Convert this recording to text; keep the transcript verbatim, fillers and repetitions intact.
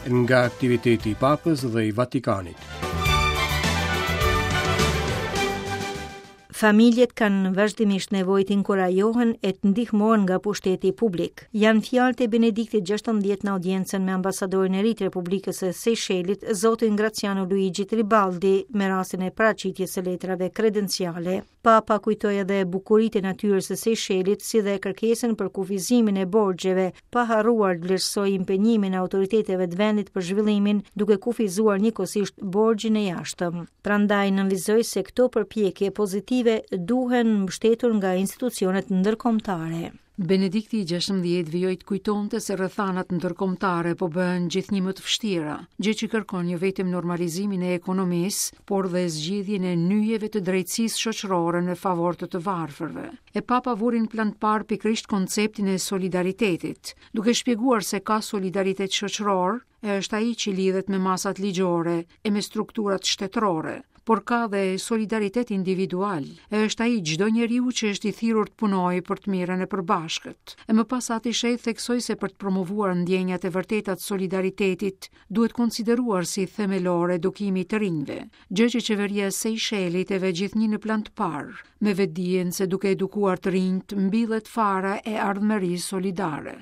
Nga aktiviteti i Papës dhe i Vatikanit. Familjet kanë vazhdimisht nevojë të inkurajohen e të ndihmohen nga pushteti publik. Janë fjalët e Benediktit gjashtëmbëdhjetë në audiencën me ambasadorin e ri të Republikës së Seychellit, zotin Graziano Luigi Tribaldi, me rastin e paraqitjes së letrave kredenciale. Papa kujtoi edhe bukuritë e natyrës së Seychellit, si dhe kërkesën për kufizimin e borxheve, pa harruar të vlerësojë impenjimin e autoriteteve të vendit për zhvillimin, duke kufizuar njëkohësisht borxhin e jashtëm. Prandaj nënvizoi se këto përpjekje pozitive duhen mbështetur nga institucionet ndërkombëtare. Benedikti i gjashtëmbëdhjetë vijoi të kujtonte se rrethanat ndërkombëtare po bëhen gjithnjë më të vështira, gjë që kërkon jo vetëm normalizimin e ekonomisë, por dhe zgjidhjen e nyjeve të drejtësisë shoqërore në favor të të varfërve. E Papa vuri në plan të parë pikërisht konceptin e solidaritetit, duke shpjeguar se ka solidaritet shoqëror, e është ai që lidhet me masat ligjore e me strukturat shtetërore, por ka dhe solidaritet individual, e është ai çdo njeriu që është i thirrur të punojë për të mirën e përbashkët. E më pas Ati Shenjt theksoi se për të promovuar ndjenjat e vërteta të solidaritetit, duhet konsideruar si themelore edukimi i të rinjve, gjë që qeveria e Seychellit e vë gjithnjë në plan të parë, me vetdijen se duke edukuar të rinjt mbillet fara e ardhmërisë solidare.